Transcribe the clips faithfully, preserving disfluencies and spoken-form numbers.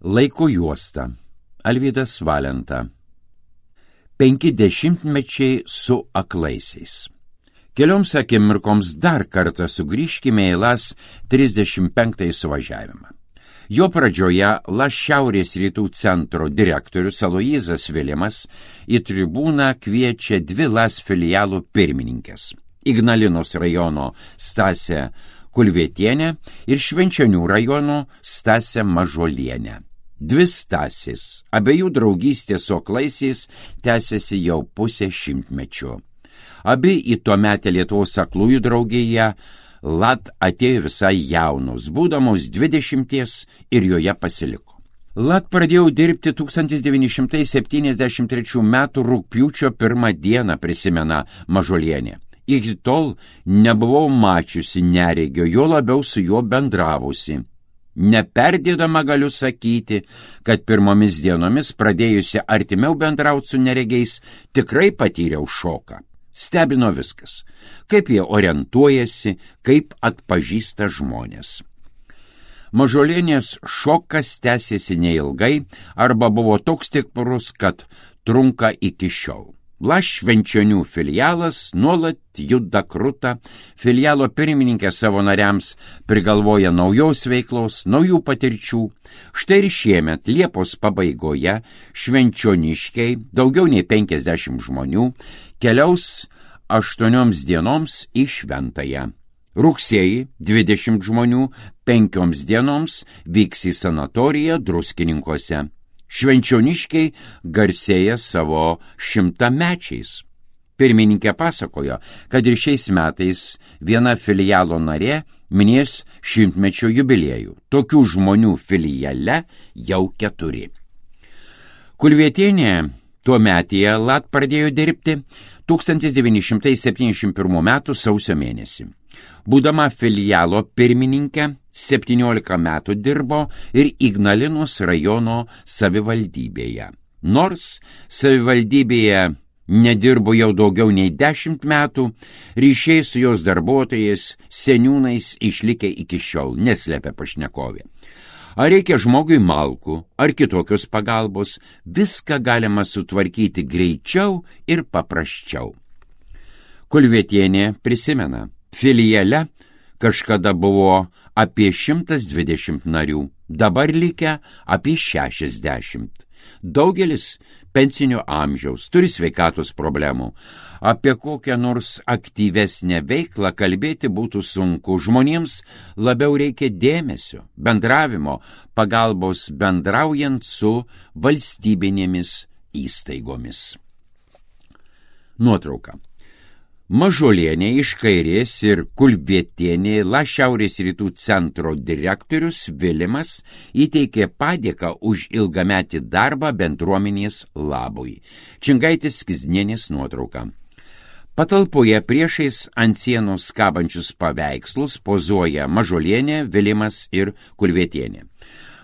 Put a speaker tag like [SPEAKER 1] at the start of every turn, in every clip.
[SPEAKER 1] Laiko juosta. Alvydas Valenta. Penki dešimtmečiai su aklaisiais. Kelioms akimirkoms dar kartą sugrįžkime į Las trisdešimt penktąjį suvažiavimą. Jo pradžioje Las Šiaurės rytų centro direktorius Aloyzas Vilimas į tribūną kviečia dvi Las filialų pirmininkės – Ignalinos rajono Stasę Kulvietienę ir Švenčionių rajono Stasę Mažuolienę. Dvi Stasės, abiejų draugystė su aklaisiais tęsiasi jau pusę šimtmečio. Abi į tuometę Lietuvos aklųjų draugiją Lat atėjo visai jaunos, būdamos dvidešimties ir joje pasiliko. Lat pradėjau dirbti tūkstantis devyni šimtai septyniasdešimt trečių metų rugpjūčio pirmą dieną, prisimena Mažuolienė. Iki tol nebuvau mačiusi neregio, jo labiau su juo bendravusi. Neperdėdama galiu sakyti, kad pirmomis dienomis pradėjusi artimiau bendrauti su neregiais, tikrai patyriau šoką. Stebino viskas, kaip jie orientuojasi, kaip atpažįsta žmonės. Mažuolienės šokas tęsėsi neilgai arba buvo toks stiprus, kad trunka iki šiol. Las Švenčionių filialas nuolat juda kruta, filialo pirmininkė savo nariams prigalvoja naujos veiklos, naujų patirčių. Štai ir šiemet Liepos pabaigoje švenčioniškiai, daugiau nei penkiasdešimt žmonių, keliaus aštuonioms dienoms į Šventąją. Rugsėjį dvidešimt žmonių penkioms dienoms vyks į sanatoriją Druskininkuose. Švenčioniškiai garsėja savo šimtamečiais. Pirmininkė pasakojo, kad ir šiais metais viena filialo narė minės šimtmečio jubiliejų. Tokių žmonių filiale jau keturi. Kulvietienė tuometyje Lat pradėjo dirbti tūkstantis devyni šimtai septyniasdešimt pirmų metų sausio mėnesį. Būdama filialo pirmininkė, septyniolika metų dirbo ir Ignalinos rajono savivaldybėje. Nors savivaldybėje nedirbo jau daugiau nei dešimt metų, ryšiai su jos darbuotojais, seniūnais išlikę iki šiol, neslėpia pašnekovė. Ar reikia žmogui malkų, ar kitokios pagalbos, viską galima sutvarkyti greičiau ir paprasčiau. Kulvietienė prisimena, filiale kažkada buvo apie šimtas dvidešimt narių, dabar likę apie šešiasdešimt. Daugelis pensinio amžiaus, turi sveikatos problemų. Apie kokią nors aktyvesnę veiklą kalbėti būtų sunku. Žmonėms labiau reikia dėmesio, bendravimo, pagalbos bendraujant su valstybinėmis įstaigomis. Nuotrauka. Mažuolienė iš kairės ir Kulvietienė Las Šiaurės rytų centro direktorius Vilimas įteikė padėką už ilgametį darbą bendruomenės labui. Čingaitis Skiznienės nuotrauka. Patalpoje priešais ant sienos kabančius paveikslus pozuoja Mažuolienė, Vilimas ir Kulvietienė.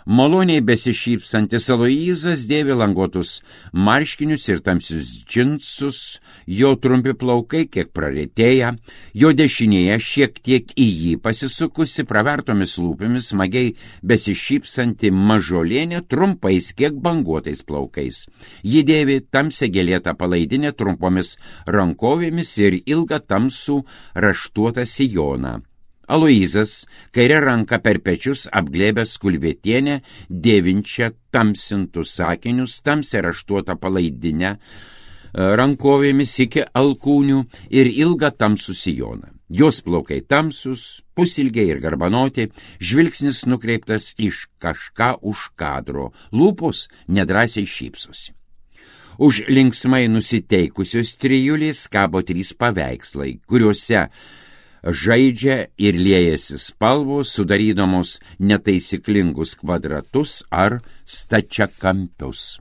[SPEAKER 1] Maloniai besišypsantis Aloyzas dėvi languotus marškinius ir tamsius džinsus, jo trumpi plaukai kiek praretėja, jo dešinėje šiek tiek į jį pasisukusi pravertomis lūpomis smagiai besišypsanti Mažuolienė trumpais kiek banguotais plaukais. Ji dėvi tamsią gėlėtą palaidinę trumpomis rankovėmis ir ilgą tamsų raštuotą sijoną. Aloyzas kairę ranką per pečius apglėbęs Kulvietienę, dėvinčią tamsintus sakinius, tamsią raštuotą palaidinę rankovėmis iki alkūnių ir ilgą tamsų sijoną. Jos plaukai tamsus, pusilgiai ir garbanoti, žvilgsnis nukreiptas iš kažką už kadro, lūpos nedrąsiai šypsosi. Už linksmai nusiteikusios trijulės kabo trys paveikslai, kuriuose žaidžia ir liejasi spalvos, sudarydamos netaisyklingus kvadratus ar stačiakampius.